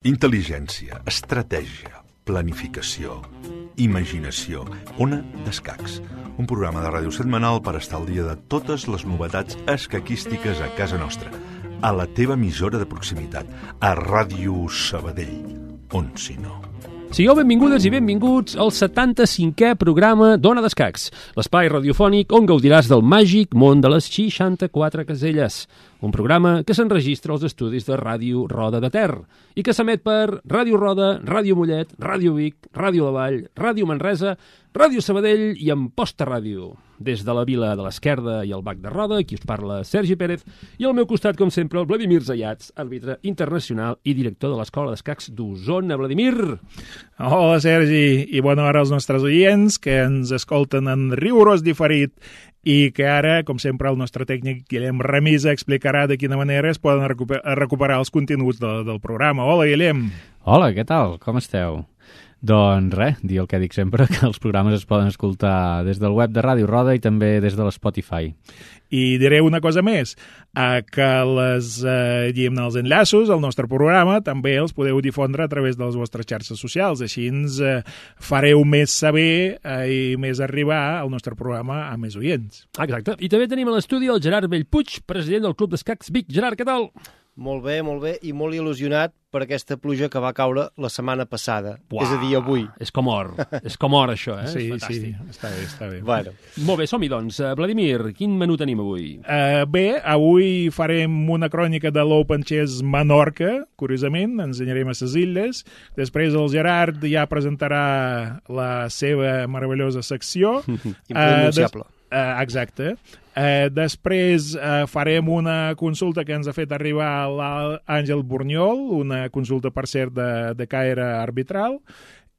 Intel·ligència, estratègia, planificació, imaginació. Ona d'Escacs, un programa de ràdio setmanal per estar al dia de totes les novetats escaquístiques a casa nostra, a la teva emissora de proximitat, a Ràdio Sabadell, on si no. Sigueu benvingudes i benvinguts al 75è programa d'Ona d'Escacs, l'espai radiofònic on gaudiràs del màgic món de les 64 caselles. Un programa que s'enregistra als estudis de Ràdio Roda de Ter i que s'emet per Ràdio Roda, Ràdio Mollet, Ràdio Vic, Ràdio La Vall, Ràdio Manresa, Ràdio Sabadell i Amposta Ràdio. Des de la Vila de l'Esquerda i el Bac de Roda, aquí us parla Sergi Pérez, i al meu costat, com sempre, el Vladimir Zayats, àrbitre internacional i director de l'Escola d'Escacs d'Osona. Vladimir! Hola, Sergi, i bona hora als nostres oients que ens escolten en rigorós diferit i que ara, com sempre, el nostre tècnic Guillem Remisa explicarà de quina manera es poden recuperar els continguts del programa. Hola, Guillem! Hola, què tal? Com esteu? Doncs res, dir el que dic sempre, que els programes es poden escoltar des del web de Ràdio Roda i també des de l'Spotify. I diré una cosa més, que els enllaços al nostre programa també els podeu difondre a través de les vostres xarxes socials, així ens fareu més saber i més arribar al nostre programa a més oients. Exacte, i també tenim a l'estudi el Gerard Bellpuig, president del Club d'Escacs Vic. Gerard, què tal? Molt bé, i molt il·lusionat per aquesta pluja que va caure la setmana passada, és a dir, avui. És com or, això, eh? Sí, és fantàstic. Sí, està bé. Bueno. Molt bé, som-hi, doncs. Vladimir, quin menú tenim avui? Bé, avui farem una crònica de l'Open Chess Menorca, curiosament, ens anirem a les illes. Després el Gerard ja presentarà la seva meravellosa secció. Impronunciable. Exacte. Després farem una consulta que ens ha fet arribar l'Àngel Borniol, una consulta, per cert, de caire arbitral,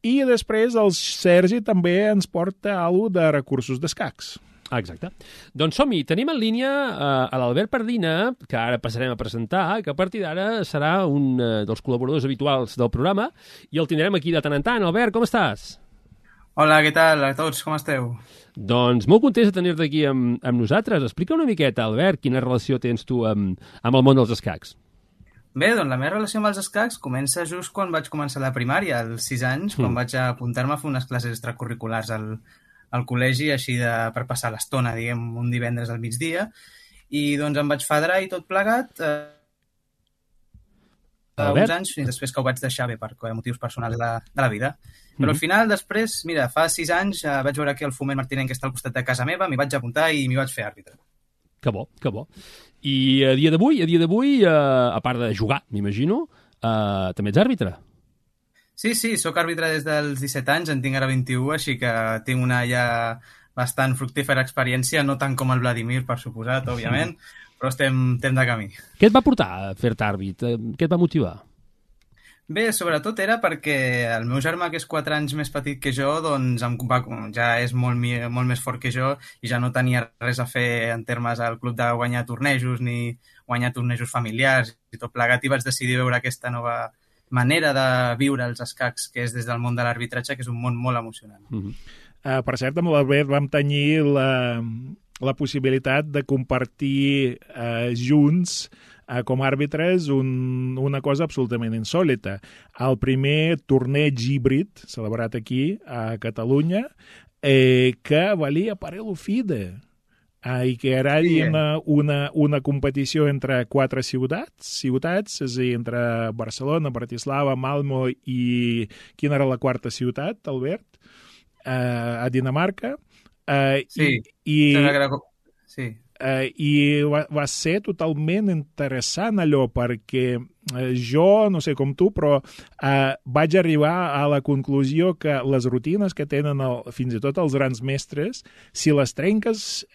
i després el Sergi també ens porta alguna de recursos d'escacs. Exacte. Doncs som-hi. Tenim en línia a l'Albert Pardina, que ara passarem a presentar, que a partir d'ara serà un dels col·laboradors habituals del programa, i el tindrem aquí de tant en tant. Albert, com estàs? Hola, què tal a tots? Com esteu? Doncs molt contents de tenir-te aquí amb nosaltres. Explica una miqueta, Albert, quina relació tens tu amb el món dels escacs. Bé, doncs la meva relació amb els escacs comença just quan vaig començar la primària, als 6 anys, quan vaig apuntar-me a fer unes classes extracurriculars al col·legi, així per passar l'estona, diguem, un divendres al migdia, i doncs em vaig fadrar i tot plegat uns anys, fins després que ho vaig deixar bé per motius personals de la vida. Però al final, després, mira, fa 6 anys vaig veure aquí el Foment Martinenc que està al costat de casa meva, m'hi vaig apuntar i m'hi vaig fer àrbitre. Que bo, que bo. I a dia d'avui, a part de jugar, m'imagino, també ets àrbitre? Sí, sóc àrbitre des dels 17 anys, en tinc ara 21, així que tinc una ja bastant fructífera experiència, no tant com el Vladimir, per suposat, òbviament, però estem de camí. Què et va portar a fer-te àrbit? Què et va motivar? Bé, sobretot era perquè el meu germà, que és 4 anys més petit que jo, doncs ja és molt més fort que jo i ja no tenia res a fer en termes al club de guanyar tornejos ni guanyar tornejos familiars i tot plegat, i vaig decidir veure aquesta nova manera de viure els escacs, que és des del món de l'arbitratge, que és un món molt emocionant. Per cert, amb l'Albert vam tenir la possibilitat de compartir junts com a àrbitres una cosa absolutament insòlita. El primer torneig híbrid celebrat aquí a Catalunya que valia parello FIDE i que era una competició entre 4 ciutats, és a dir, entre Barcelona, Bratislava, Malmö i quina era la quarta ciutat, Albert? A Dinamarca. I va ser totalment interessant allò, perquè jo, no sé com tu, però vaig arribar a la conclusió que les rutines que tenen fins i tot els grans mestres, si les trenques,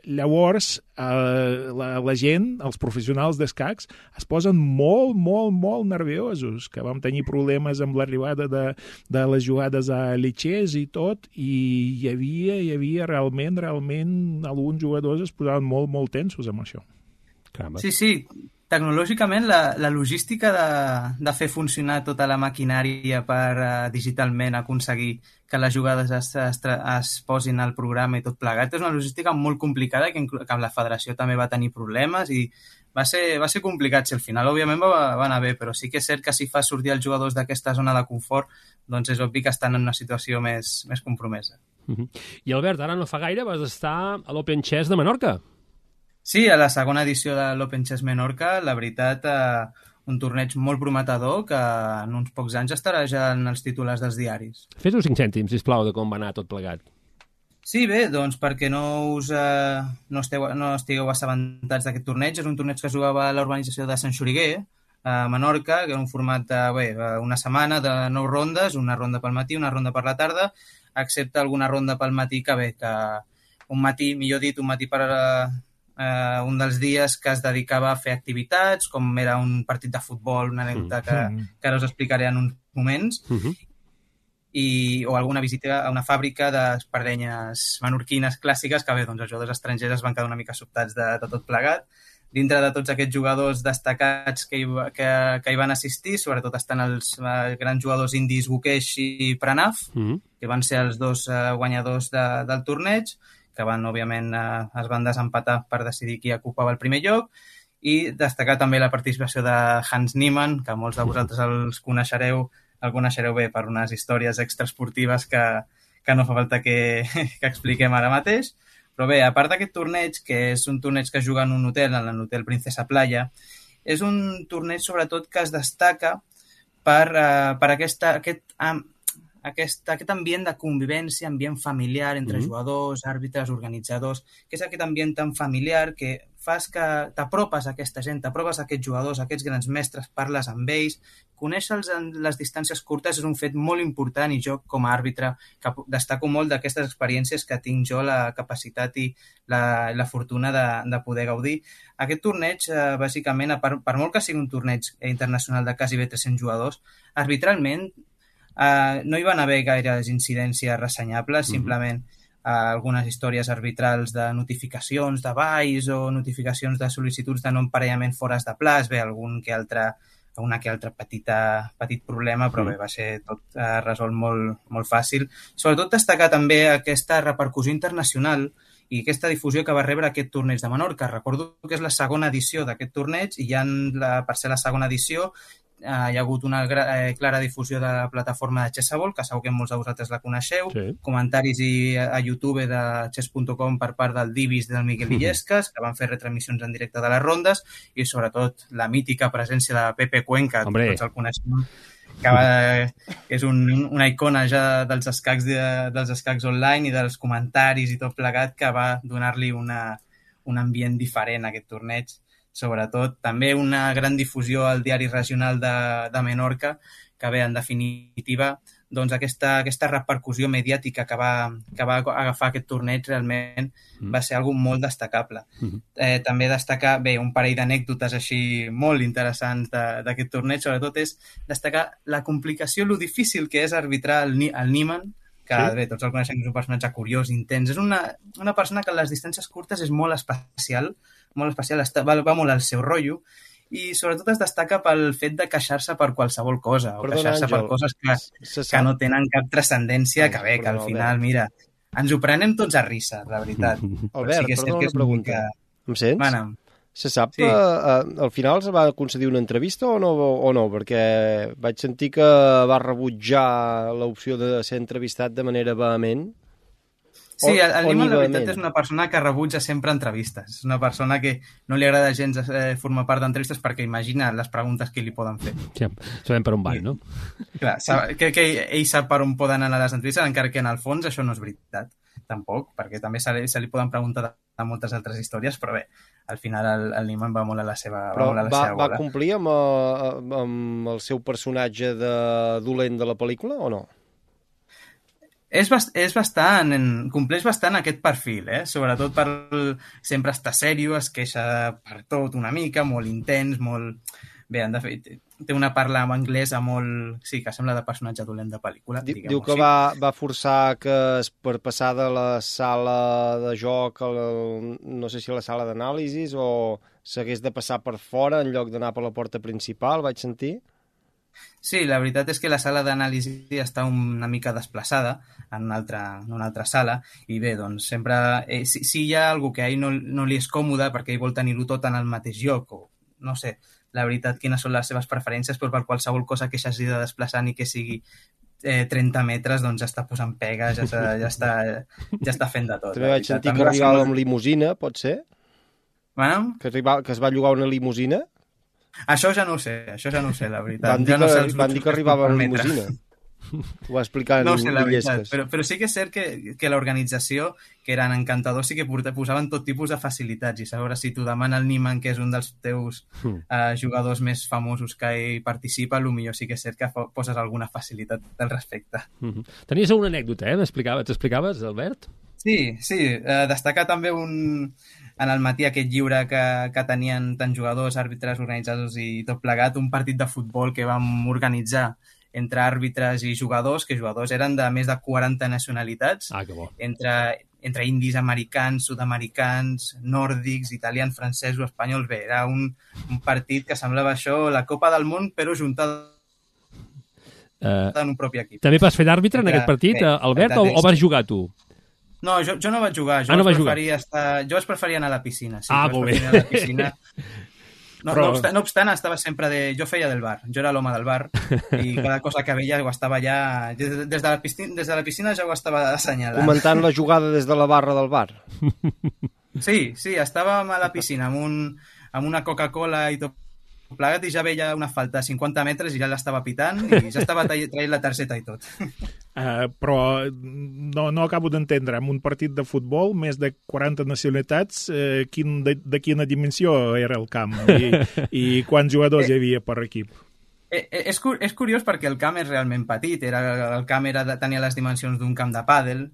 llavors la gent, els professionals d'escacs, es posen molt nerviosos, que vam tenir problemes amb l'arribada de les jugades a Lichess i tot, i hi havia realment alguns jugadors es posaven molt tensos amb això. Sí, tecnològicament la logística de fer funcionar tota la maquinària per digitalment aconseguir que les jugades es posin al programa i tot plegat és una logística molt complicada que la federació també va tenir problemes i va ser complicat. Si al final, òbviament, va anar bé, però sí que és cert que si fa sortir els jugadors d'aquesta zona de confort, doncs és obvi que estan en una situació més compromesa. I Albert, ara no fa gaire vas estar a l'Open Chess de Menorca. Sí, a la segona edició de l'Open Chess Menorca, la veritat, un torneig molt prometedor que en uns pocs anys estarà ja en els titulars dels diaris. Fes-nos 5 cèntims, sisplau, de com va anar tot plegat. Sí, bé, doncs perquè no estigueu assabentats d'aquest torneig. És un torneig que jugava a l'urbanització de Sant Xuriguer, a Menorca, que era un format una setmana de 9 rondes, una ronda pel matí, una ronda per la tarda, excepte alguna ronda pel matí que un matí per un dels dies que es dedicava a fer activitats, com era un partit de futbol, una anècdota que ara us explicaré en uns moments, o alguna visita a una fàbrica d'espardenyes menorquines clàssiques que bé, doncs els jugadors estrangers es van quedar una mica sobtats de tot plegat. Dintre de tots aquests jugadors destacats que hi van assistir, sobretot estan els grans jugadors indis Gukesh i Pranav, que van ser els dos guanyadors del torneig, que òbviament es van desempatar per decidir qui ocupava el primer lloc, i destacar també la participació de Hans Niemann, que molts de vosaltres el coneixereu bé per unes històries extraesportives que no fa falta que expliquem ara mateix. Però bé, a part d'aquest torneig, que és un torneig que es juga en un hotel, en l'hotel Princesa Playa, és un torneig sobretot que es destaca per aquest ambient de convivència, ambient familiar entre jugadors, àrbitres, organitzadors, que és aquest ambient tan familiar que fas que t'apropes a aquesta gent, t'apropes a aquests jugadors, a aquests grans mestres, parles amb ells, conèixer-los en les distàncies curtes és un fet molt important i jo, com a àrbitre, destaco molt d'aquestes experiències que tinc jo la capacitat i la fortuna de poder gaudir. Aquest torneig, bàsicament, per molt que sigui un torneig internacional de quasi 300 jugadors, arbitralment no hi van haver gaires incidències ressenyables, simplement algunes històries arbitrals de notificacions de valls o notificacions de sol·licituds de no emparellament fores de plaç, bé, una que altra petit problema, però bé, va ser tot resolt molt, molt fàcil. Sobretot destacar també aquesta repercussió internacional i aquesta difusió que va rebre aquest torneig de Menorca. Recordo que és la segona edició d'aquest torneig i per ser la segona edició hi ha hagut una clara difusió de la plataforma de Chessable, que segur que molts de vosaltres la coneixeu, comentaris a YouTube de chess.com per part del Divis del Miguel Illescas, que van fer retransmissions en directe de les rondes, i sobretot la mítica presència de Pepe Cuenca, tots el coneixem, que és una icona ja dels escacs online i dels comentaris i tot plegat, que va donar-li un ambient diferent a aquest torneig. Sobretot, també una gran difusió al diari regional de Menorca, que bé, en definitiva, doncs aquesta repercussió mediàtica que va agafar aquest torneig realment va ser algo molt destacable. També destacar, bé, un parell d'anècdotes així molt interessants d'aquest torneig, sobretot és destacar la complicació, lo difícil que és arbitrar el Niemann, que bé, tots el coneixem, és un personatge curiós, intens. És una persona que en les distàncies curtes és molt especial, va molt al seu rotllo, i sobretot es destaca pel fet de queixar-se per qualsevol cosa, o queixar-se per coses que no tenen cap transcendència, que bé, que al final, mira, ens ho prenem tots a risa, la veritat. Albert, perdona una pregunta. Em sents? Bueno, se sap que al final es va concedir una entrevista o no? Perquè vaig sentir que va rebutjar l'opció de ser entrevistat de manera vehement. Sí, el Niemann, la veritat, és una persona que rebutja sempre entrevistes. És una persona que no li agrada gens formar part d'entrevistes perquè imagina les preguntes que li poden fer. Sí, sabem per on van, no? Clar, crec que ell sap per on poden anar les entrevistes, encara que en el fons això no és veritat, tampoc, perquè també se li poden preguntar de moltes altres històries, però bé, al final el Niemann va molt a la seva bola. Va complir amb el seu personatge de dolent de la pel·lícula o no? Compleix bastant aquest perfil, sobretot per sempre estar sèrio, es queixa per tot una mica, molt intens, molt... Bé, de fet, té una parla en anglès sí, que sembla de personatge dolent de pel·lícula. Diu que va forçar que per passar de la sala de joc, no sé si a la sala d'anàlisis o s'hagués de passar per fora en lloc d'anar per la porta principal, vaig sentir. Sí, la veritat és que la sala d'anàlisi està una mica desplaçada en una altra sala i bé, doncs sempre... si hi ha algú que a ell no li és còmode perquè ell vol tenir-ho tot en el mateix lloc o no sé, la veritat, quines són les seves preferències, però per qualsevol cosa que s'hagi de desplaçar ni que sigui 30 metres, doncs ja està posant pegues, ja està fent de tot. També vaig sentir que arribava amb limusina, pot ser? Bueno? Que es va llogar una limusina? Això ja no ho sé, la veritat. Van dir que arribava amb limusina. Ho va explicar en Illescas. Però sí que és cert que l'organització, que eren encantadors, sí que posaven tot tipus de facilitats. I segons si t'ho demana el Niman, que és un dels teus jugadors més famosos que hi participa, potser sí que és cert que poses alguna facilitat al respecte. Tenies una anècdota, t'explicaves, Albert? Sí, destacar també en el matí aquest lliure que tenien tant jugadors, àrbitres, organitzadors i tot plegat, un partit de futbol que vam organitzar entre àrbitres i jugadors, que jugadors eren de més de 40 nacionalitats, que bo. Entre indis, americans, sud-americans, nòrdics, italians, francesos, espanyols. Bé, era un partit que semblava això, la Copa del Món, però juntada en un propi equip. També vas fer d'àrbitre en aquest partit, Albert, o vas jugar tu? No, jo no vaig jugar. Jo vaig preferir anar a la piscina. Sí, molt bé. A la piscina. No obstant, estava sempre jo feia del bar. Jo era l'home del bar i cada cosa que veia ho estava ja... Des de la piscina ja ho estava assenyalant. Comentant la jugada des de la barra del bar. Sí, estàvem a la piscina amb una Coca-Cola i tot plegat i ja veia una falta a 50 metres i ja l'estava pitant i ja estava traient la targeta i tot. Però no acabo d'entendre, en un partit de futbol, més de 40 nacionalitats, de quina dimensió era el camp i quants jugadors hi havia per equip? És curiós perquè el camp és realment petit, el camp tenia les dimensions d'un camp de pàdel,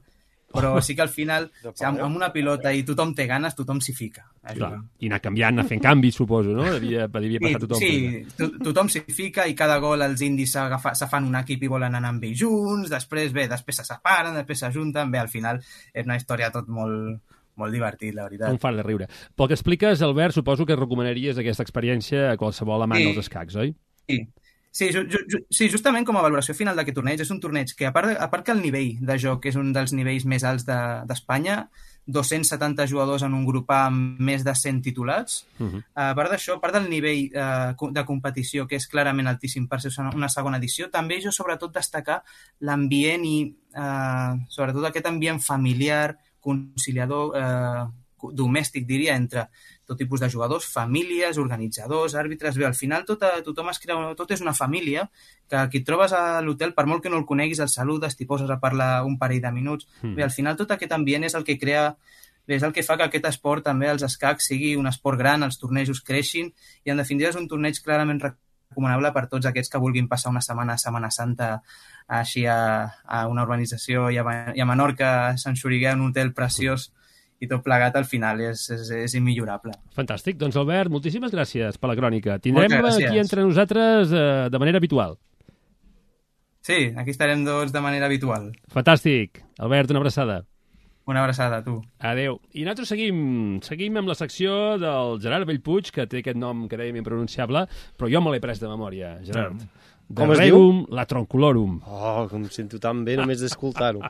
però sí que al final, amb una pilota i tothom té ganes, tothom s'hi fica. Clar. I anar canviant, anar fent canvis, suposo, no? Devia passar tothom. Sí, tothom s'hi fica i cada gol els indis se fan un equip i volen anar amb ells junts, després se separen, després s'ajunten, bé, al final és una història tot molt divertit, la veritat. Un far de riure. Pel que expliques, Albert, suposo que recomanaries aquesta experiència a qualsevol amant dels escacs, oi? Sí, justament com a valoració final d'aquest torneig, és un torneig que, a part que el nivell de joc és un dels nivells més alts d'Espanya, 270 jugadors en un grup amb més de 100 titulats, a part d'això, a part del nivell de competició, que és clarament altíssim per ser una segona edició, també jo sobretot destacar l'ambient i sobretot aquest ambient familiar, conciliador, domèstic, diria, entre tot tipus de jugadors, famílies, organitzadors, àrbitres... Bé, al final tothom es crea... Tot és una família que et trobes a l'hotel, per molt que no el coneguis, el saludes, t'hi poses a parlar un parell de minuts... Bé, al final tot aquest ambient és el que crea... Bé, és el que fa que aquest esport, també els escacs, sigui un esport gran, els tornejos creixin, i en definitiva és un torneig clarament recomanable per tots aquests que vulguin passar una setmana a Setmana Santa així a una urbanització i a Menorca, a Sant Xuriguer, un hotel preciós, i tot plegat al final és immillorable. Fantàstic. Doncs, Albert, moltíssimes gràcies per la crònica. Tindrem aquí entre nosaltres de manera habitual. Sí, aquí estarem tots de manera habitual. Fantàstic. Albert, una abraçada. Una abraçada a tu. Adéu. I nosaltres seguim amb la secció del Gerard Bellpuig, que té aquest nom que dèiem impronunciable, però jo me l'he pres de memòria, Gerard. Com es diu? La Troncolorum. Oh, com em sento tan bé només d'escoltar-ho.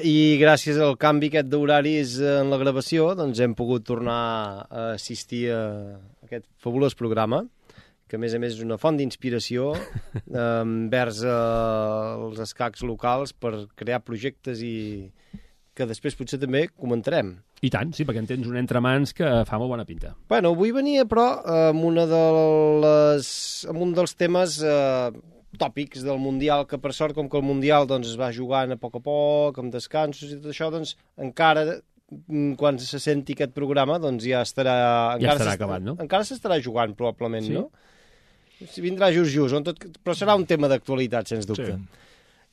I gràcies al canvi aquest d'horaris en la gravació doncs hem pogut tornar a assistir a aquest fabulós programa que a més és una font d'inspiració envers els escacs locals per crear projectes i que després potser també comentarem. I tant, sí, perquè en tens un entremans que fa molt bona pinta. Bueno, avui venia però amb un dels temes tòpics del Mundial, que per sort, com que el Mundial doncs, es va jugant a poc, amb descansos i tot això, doncs encara, quan se senti aquest programa, doncs ja estarà... Ja estarà acabat, no? Encara s'estarà jugant, probablement, sí? No? Vindrà just, però serà un tema d'actualitat, sens dubte. Sí.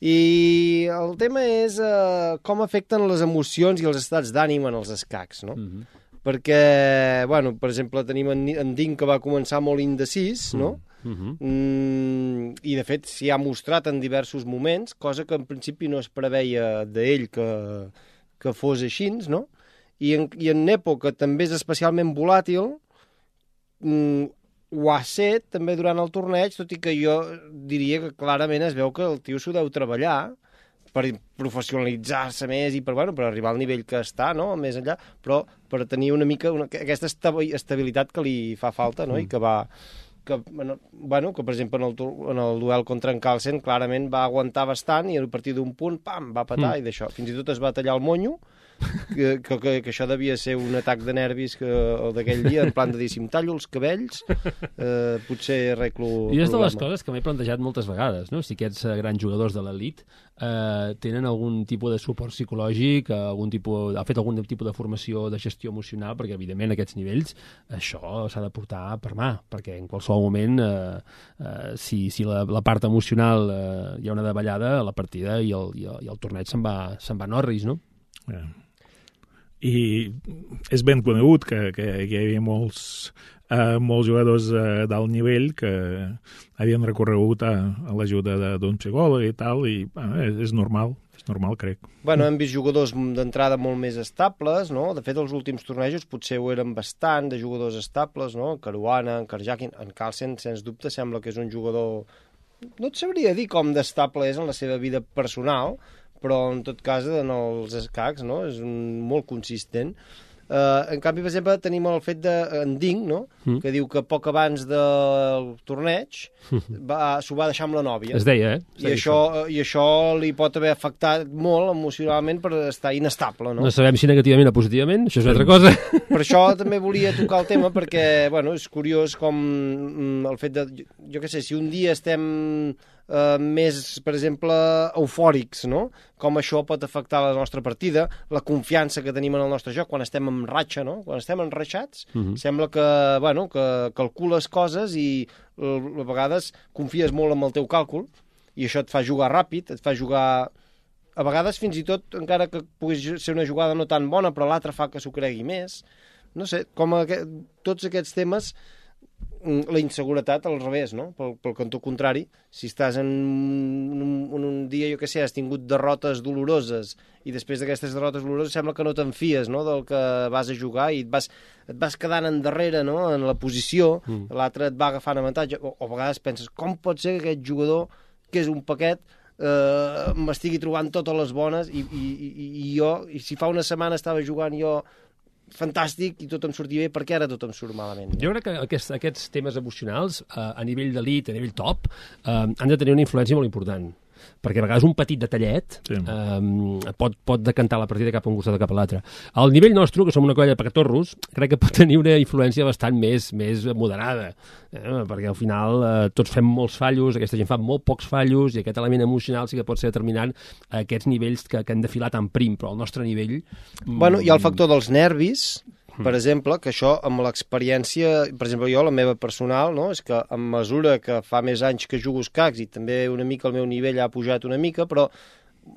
I el tema és com afecten les emocions i els estats d'ànim en els escacs, no? Perquè, bueno, per exemple, tenim en Ding, que va començar molt indecis, no? I de fet s'hi ha mostrat en diversos moments, cosa que en principi no es preveia d'ell que fos així, no? i en Nepo, que també és especialment volàtil, ho ha set també durant el torneig, tot i que jo diria que clarament es veu que el tio s'ho deu treballar per professionalitzar-se més i per arribar al nivell que està, no? Més enllà, però per tenir una mica aquesta estabilitat que li fa falta, no? I que que per exemple en el duel contra en Carlsen clarament va aguantar bastant i a partir d'un punt, pam, va patar i d'això. Fins i tot es va tallar el monyo, que això devia ser un atac de nervis d'aquell dia, en plan de dir, si em tallo els cabells, potser arreglo I és de les coses que m'he plantejat moltes vegades, no? Si aquests grans jugadors de l'elit tenen algun tipus de suport psicològic, ha fet algun tipus de formació de gestió emocional, perquè evidentment a aquests nivells això s'ha de portar per mà, perquè en qualsevol moment si la part emocional hi ha una davallada, la partida i el torneig se'n va en orris, no? I és ben conegut que hi havia molts jugadors d'alt nivell que havien recorregut a l'ajuda d'un psicòleg i tal, i és normal, crec. Hem vist jugadors d'entrada molt més estables, no? De fet, els últims tornejos potser ho eren bastant de jugadors estables, no? En Caruana, en Karjakin, en Carlsen, sens dubte, sembla que és un jugador... No et sabria dir com d'estable és en la seva vida personal, però en tot cas en els escacs, no? És molt consistent. En canvi, per exemple, tenim el fet d'en Ding, no? Que diu que poc abans del torneig s'ho va deixar amb la nòvia. Es deia, I això li pot haver afectat molt emocionalment per estar inestable, no? No sabem si negativament o positivament, això és una altra cosa. Per això també volia tocar el tema, perquè, és curiós com el fet de... Jo què sé, si un dia estem més, per exemple, eufòrics, no? Com això pot afectar la nostra partida, la confiança que tenim en el nostre joc quan estem en ratxa, no? Quan estem enraixats, sembla que calcules coses i a vegades confies molt en el teu càlcul i això et fa jugar ràpid, et fa jugar... A vegades, fins i tot, encara que pugui ser una jugada no tan bona, però l'altre fa que s'ho cregui més. No sé, tots aquests temes... La inseguretat al revés, no? Pel cantó contrari, si estàs en un dia, jo què sé, has tingut derrotes doloroses i després d'aquestes derrotes doloroses sembla que no te'n fies, no?, del que vas a jugar i et vas quedant endarrere, no?, en la posició, l'altre et va agafant avantatge, o a vegades penses, com pot ser que aquest jugador, que és un paquet, m'estigui trobant totes les bones i jo, si fa una setmana estava jugant jo fantàstic i tot em sortia bé, perquè ara tot em surt malament. Jo crec que aquests temes emocionals, a nivell d'elit, a nivell top, han de tenir una influència molt important, perquè a vegades un petit detallet pot decantar la partida cap a un costat o cap a l'altre. Al nivell nostre, que som una colla de pacatorros, crec que pot tenir una influència bastant més moderada, perquè al final tots fem molts fallos, aquesta gent fa molt pocs fallos i aquest element emocional sí que pot ser determinant a aquests nivells que han de filar tan prim, però al nostre nivell... Hi ha el factor dels nervis, per exemple, que això amb l'experiència, per exemple jo, la meva personal, no? És que a mesura que fa més anys que jugo escacs i també una mica el meu nivell ha pujat una mica, però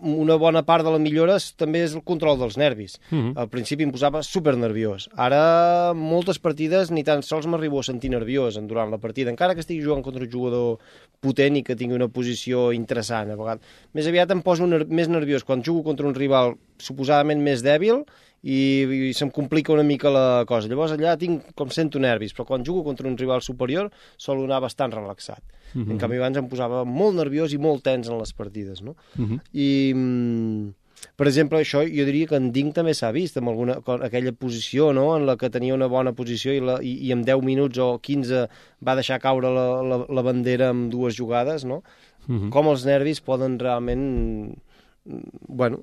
una bona part de la millora també és el control dels nervis. Al principi em posava supernerviós. Ara moltes partides ni tan sols m'arribo a sentir nerviós durant la partida, encara que estigui jugant contra un jugador potent i que tingui una posició interessant. A vegades. Més aviat em poso més nerviós quan jugo contra un rival suposadament més dèbil i se'm complica una mica la cosa. Llavors allà sento nervis, però quan jugo contra un rival superior solo anar bastant relaxat. En canvi abans em posava molt nerviós i molt tens en les partides, no? I, per exemple, això jo diria que en Ding també s'ha vist amb aquella posició, no?, en la que tenia una bona posició i en 10 minuts o 15 va deixar caure la bandera amb dues jugades, no? Com els nervis poden realment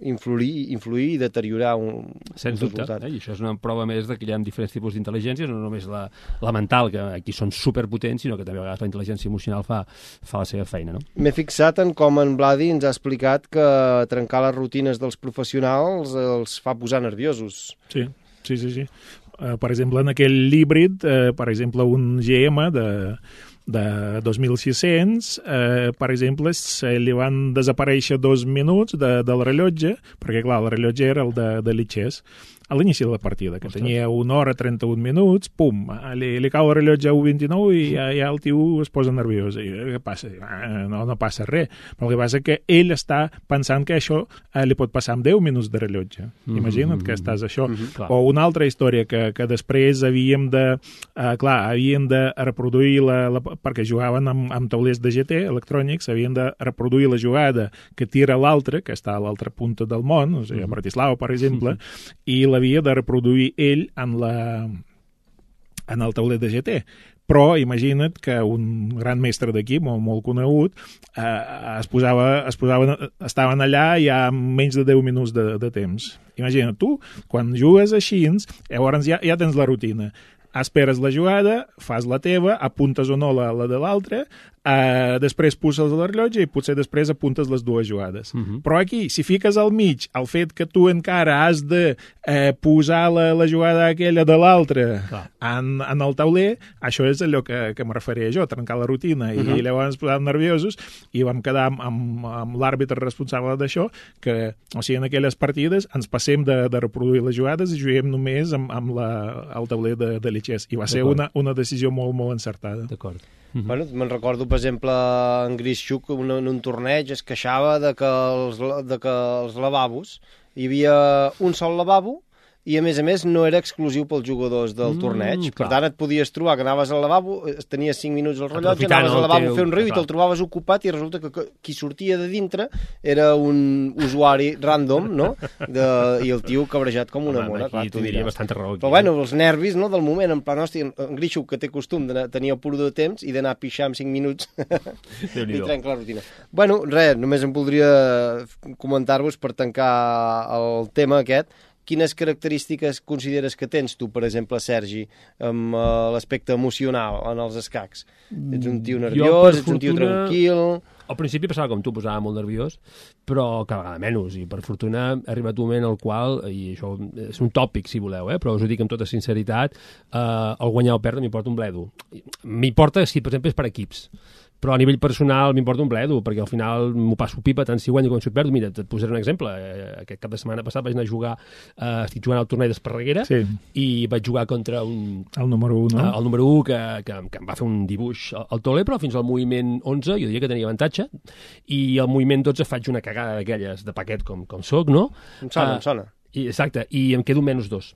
influir i deteriorar un resultat. I això és una prova més que hi ha diferents tipus d'intel·ligència, no només la mental, que aquí són superpotents, sinó que també a vegades la intel·ligència emocional fa la seva feina, no? M'he fixat en com en Vladi ens ha explicat que trencar les rutines dels professionals els fa posar nerviosos. Sí. Per exemple, en aquell híbrid, per exemple, un GM de 2.600, per exemple, li van desaparèixer 2 minuts del rellotge, perquè, clar, el rellotge era el de l'Itxès. a l'inici de la partida, que tenia 1 hora 31 minuts, pum, li cau el rellotge a 1:29 i ja el tio es posa nerviós. I què passa? No passa res. Però el que passa que ell està pensant que això li pot passar amb 10 minuts de rellotge. Imagina't que estàs això. O una altra història que després havíem de reproduir perquè jugaven amb taulers de GT electrònics, havien de reproduir la jugada que tira l'altre, que està a l'altra punta del món, o sigui, a Bratislava, per exemple, i l'havia de reproduir ell en el tauler de GT. Però imagina't que un gran mestre d'equip, molt conegut, estaven allà ja amb menys de 10 minuts de temps. Imagina't, tu, quan jugues així, llavors ja tens la rutina. Esperes la jugada, fas la teva, apuntes o no la de l'altre, després poses el rellotge i potser després apuntes les dues jugades. Però aquí, si fiques al mig el fet que tu encara has de posar la jugada aquella de l'altre en el tauler, això és allò que me referia jo, trencar la rutina, i llavors ens posàvem nerviosos i vam quedar amb l'àrbitre responsable d'això, que, o sigui, en aquelles partides ens passem de reproduir les jugades i juguem només amb el tauler de Lichess, i va ser una decisió molt, molt encertada. D'acord. Bueno, me'n recordo, per exemple, en Grischuk en un torneig es queixava de que els lavabos, hi havia un sol lavabo i, a més, no era exclusiu pels jugadors del torneig. Per tant, et podies trobar que anaves al lavabo, tenies 5 minuts al rellotge, anaves al lavabo a fer un riu i te'l trobaves ocupat i resulta que qui sortia de dintre era un usuari random, no? I el tio cabrejat com una mona. Aquí t'ho diria bastanta raó. Però, bueno, els nervis del moment, en plan, hòstia, en Grischuk, que té costum de tenir el puro de temps i d'anar a pixar en 5 minuts i trenca la rutina. Bueno, res, només em voldria comentar-vos per tancar el tema aquest. Quines característiques consideres que tens tu, per exemple, Sergi, amb l'aspecte emocional en els escacs? Ets un tio nerviós, ets un tio tranquil... Al principi passava com tu, posava molt nerviós, però cada vegada menys, i per fortuna ha arribat un moment al qual, i això és un tòpic si voleu, però us ho dic amb tota sinceritat, el guanyar o perdre m'importa un bledo. M'importa si, per exemple, és per equips, però a nivell personal m'importa un bledo, perquè al final m'ho passo pipa tant si guanyo com si perdo. Mira, et posaré un exemple. Aquest cap de setmana passat vaig anar a jugar, estic jugant al torneig d'Esparreguera, i vaig jugar contra el número 1, no? El número 1 que em va fer un dibuix al tauler, però fins al moviment 11 jo diria que tenia avantatge, i al moviment 12 faig una cagada d'aquelles de paquet com soc, no? Em sona. Exacte, i em quedo -2.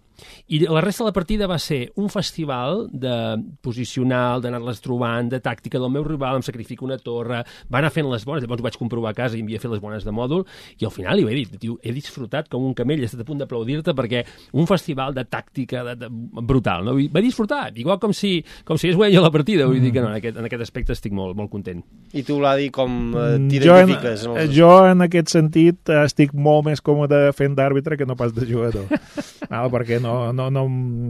I la resta de la partida va ser un festival de posicional, d'anar-les trobant, de tàctica del meu rival, em sacrifico una torre, va anar fent les bones, llavors ho vaig comprovar a casa i em havia fet les bones de mòdul, i al final li vaig dir, tio, he disfrutat com un camell, he estat a punt d'aplaudir-te, perquè un festival de tàctica brutal, no? Va disfrutar, igual com si es guanya la partida, vull dir que no, en aquest aspecte estic molt, molt content. I tu, Vladi, com t'identifiques? Jo, en aquest sentit, estic molt més còmode fent d'àrbitre que no pas de jugador, perquè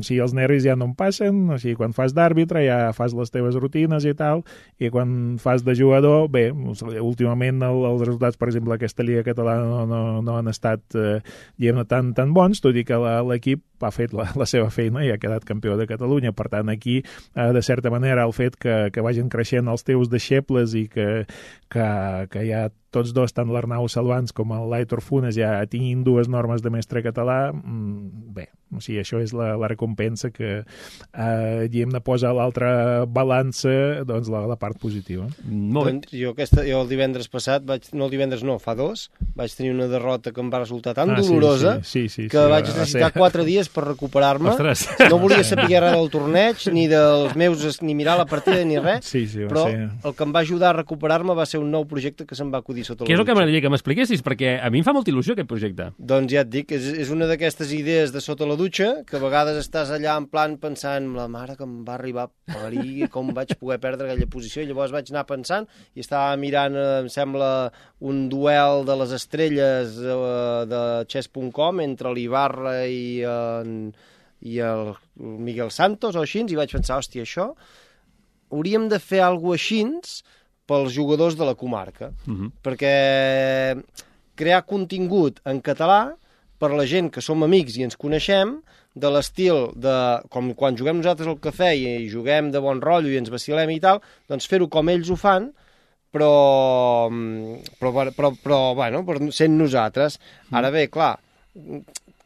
si els nervis ja no em passen, o sigui, quan fas d'àrbitre ja fas les teves rutines i tal, i quan fas de jugador, bé, últimament els resultats, per exemple, aquesta Lliga Catalana no han estat tan bons, tot i que l'equip ha fet la seva feina i ha quedat campió de Catalunya. Per tant, aquí, de certa manera, el fet que vagin creixent els teus deixebles i que ja tots dos, tant l'Arnau Salvans com l'Aitor Funes, ja tinguin 2 normes de mestre català, bé, o sigui, això és la recompensa que hem de posar a l'altra balança, doncs, la part positiva. Molt bé. Jo el divendres passat, fa 2, vaig tenir una derrota que em va resultar tan dolorosa que vaig necessitar 4 dies per recuperar-me. No volia saber res del torneig, ni dels meus, ni mirar la partida, ni res, però el que em va ajudar a recuperar-me va ser un nou projecte que se'm va acudir sota la dutxa. Què és el que m'agradaria que m'expliquessis? Perquè a mi em fa molta il·lusió aquest projecte. Doncs ja et dic, és una d'aquestes idees de sota la dutxa, que a vegades estàs allà en plan pensant la mare que em va arribar a parir, com vaig poder perdre aquella posició, i llavors vaig anar pensant i estava mirant, em sembla, un duel de les estrelles de chess.com entre l'Ibarra i el Miguel Santos o així, i vaig pensar, hòstia, això hauríem de fer alguna cosa així pels jugadors de la comarca, perquè crear contingut en català per la gent que som amics i ens coneixem, de l'estil com quan juguem nosaltres al cafè i juguem de bon rotllo i ens vacilem i tal, doncs fer-ho com ells ho fan, però bueno, sent nosaltres. Ara bé, clar,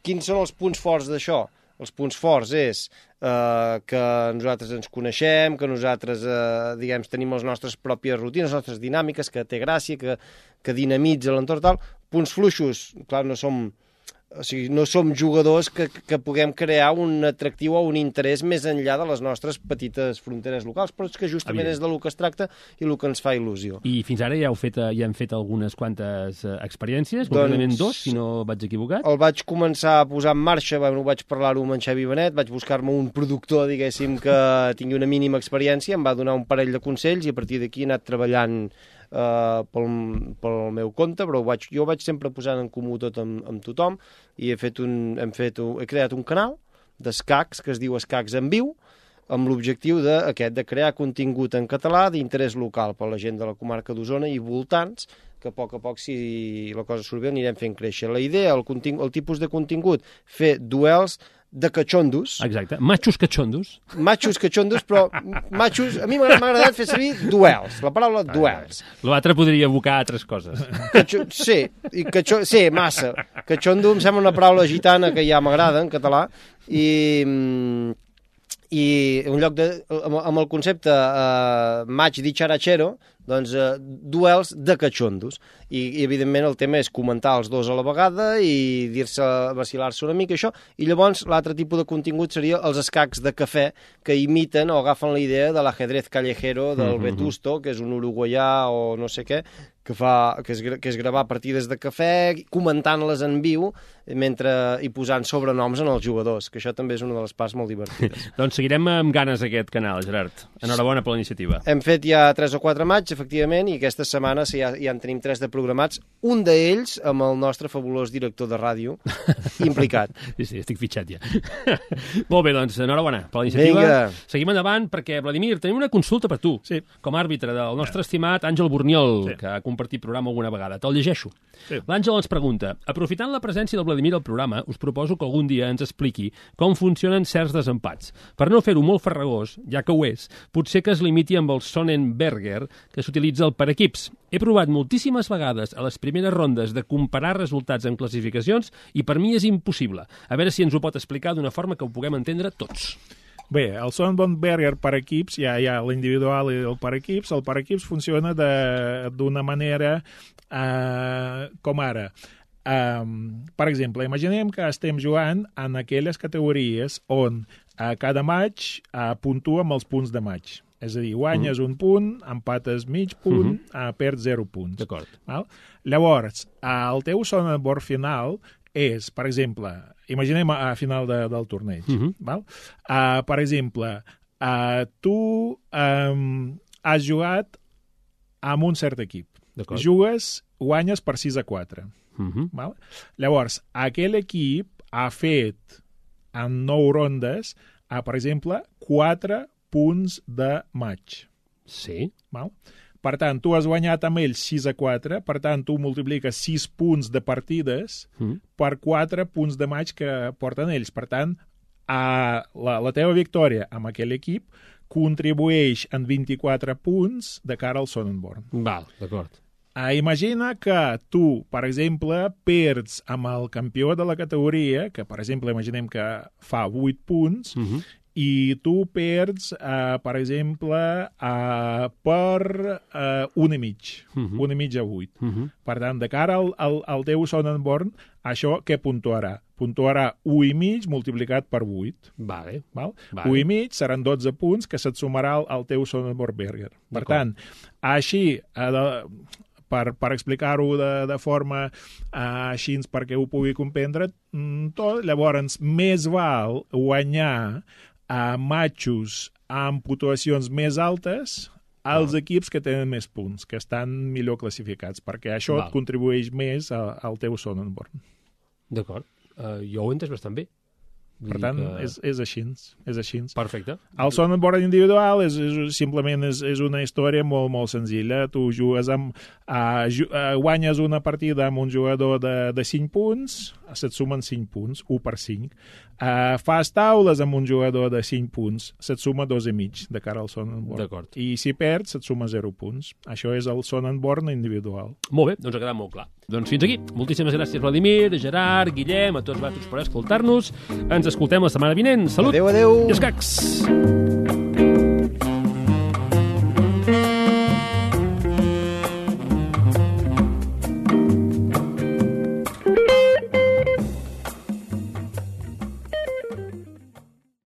quins són els punts forts d'això? Els punts forts és que nosaltres ens coneixem, que nosaltres tenim les nostres pròpies rutines, les nostres dinàmiques, que té gràcia, que dinamitza l'entorn tal. Punts fluixos, clar, no som jugadors que puguem crear un atractiu o un interès més enllà de les nostres petites fronteres locals, però és que justament és del que es tracta i el que ens fa il·lusió. I fins ara ja hem fet algunes quantes experiències, concretament 2, si no vaig equivocat. El vaig començar a posar en marxa, vaig parlar-ho amb en Xavi Benet, vaig buscar-me un productor, diguéssim, que tingui una mínima experiència, em va donar un parell de consells i a partir d'aquí he anat treballant pel meu compte, però jo vaig sempre posant en comú tot amb tothom i he creat un canal d'escacs que es diu Escacs en Viu, amb l'objectiu de crear contingut en català d'interès local per la gent de la comarca d'Osona i voltants, que a poc, si la cosa surt bé, anirem fent créixer. La idea, el tipus de contingut, fer duels de cachondos. Exacte, machos cachondos. Machos cachondos, però machos... A mi m'ha agradat fer servir duels, la paraula duels. L'altre podria evocar altres coses. Sí, massa. Cachondo em sembla una paraula gitana que ja m'agrada en català i en lloc de... amb el concepte match dicharachero, doncs duels de cachondos. I evidentment el tema és comentar els dos a la vegada i dir-se, vacilar-se una mica això, i llavors l'altre tipus de contingut seria els escacs de cafè que imiten o agafen la idea de l'ajedrez callejero del Vetusto, que és un uruguaià o no sé què, que és gravar partides de cafè comentant-les en viu i posant sobrenoms en els jugadors, que això també és una de les parts molt divertides. Doncs seguirem amb ganes aquest canal, Gerard. Enhorabona per la iniciativa. Hem fet ja 3 o 4 matxs, efectivament, i aquesta setmana ja en tenim 3 de programats, un d'ells amb el nostre fabulós director de ràdio implicat. Sí, estic fitxat ja. Molt bé, doncs, enhorabona per la iniciativa. Vinga. Seguim endavant perquè, Vladimir, tenim una consulta per tu, com a àrbitre del nostre estimat Àngel Borniol, que ha compartit programa alguna vegada. Te'l llegeixo. L'Àngel ens pregunta: aprofitant la presència del Vladimir al programa, us proposo que algun dia ens expliqui com funcionen certs desempats. Per no fer-ho molt farragós, ja que ho és, potser que es limiti amb el Sonnenberger, que s'utilitza per equips. He provat moltíssimes vegades a les primeres rondes de comparar resultats en classificacions i per mi és impossible. A veure si ens ho pot explicar d'una forma que ho puguem entendre tots. Bé, el Sonnenberger per equips, hi ha l'individual i el per equips. El per equips funciona d'una manera com ara. Per exemple, imaginem que estem jugant en aquelles categories on cada match puntua amb els punts de match. És a dir, guanyes un punt, empates mig punt, perds 0 punts. D'acord. Llavors, el teu Sonnenberg final és, per exemple, imaginem a final del torneig. Per exemple, tu has jugat amb un cert equip. Guanyes per 6-4. Llavors, aquell equip ha fet en 9 rondes, per exemple, 4 punts de match. Sí. Per tant, tu has guanyat amb ells 6-4, per tant, tu multipliques 6 punts de partides per 4 punts de match que porten ells. Per tant, la teva victòria amb aquell equip contribueix en 24 punts de cara al Sonnenborn. Val, d'acord. Imagina que tu, per exemple, perds amb el campió de la categoria, que, per exemple, imaginem que fa 8 punts, i tu perds, per exemple, per 1,5. 1,5 a 8. Per tant, de cara al teu Sonnenborn, això què puntuarà? Puntuarà 1,5 multiplicat per 8. Vale. 1,5 seran 12 punts que se't sumarà al teu Sonnenberger. Per tant, així, per explicar-ho de forma així perquè ho pugui comprendre tot, llavors més val guanyar matxos amb puntuacions més altes als equips que tenen més punts, que estan millor classificats, perquè això et contribueix més al teu Sonnenborn. D'acord. Jo ho he entès bastant bé. Per tant, és així. Perfecte. El Sonnenborn individual simplement és una història molt, molt senzilla. Tu jugues guanyes una partida amb un jugador de 5 punts, se't sumen 5 punts, 1 per 5. Fas taules amb un jugador de 5 punts, se't suma 2,5 de cara al Sonnenborn. D'acord. I si perds, se't suma 0 punts. Això és el Sonnenborn individual. Molt bé, doncs ha quedat molt clar. Doncs fins aquí. Moltíssimes gràcies, Vladimir, Gerard, Guillem, a tots vosaltres per escoltar-nos. Ens escoltem la setmana vinent. Salut! Adéu, adéu! I escacs!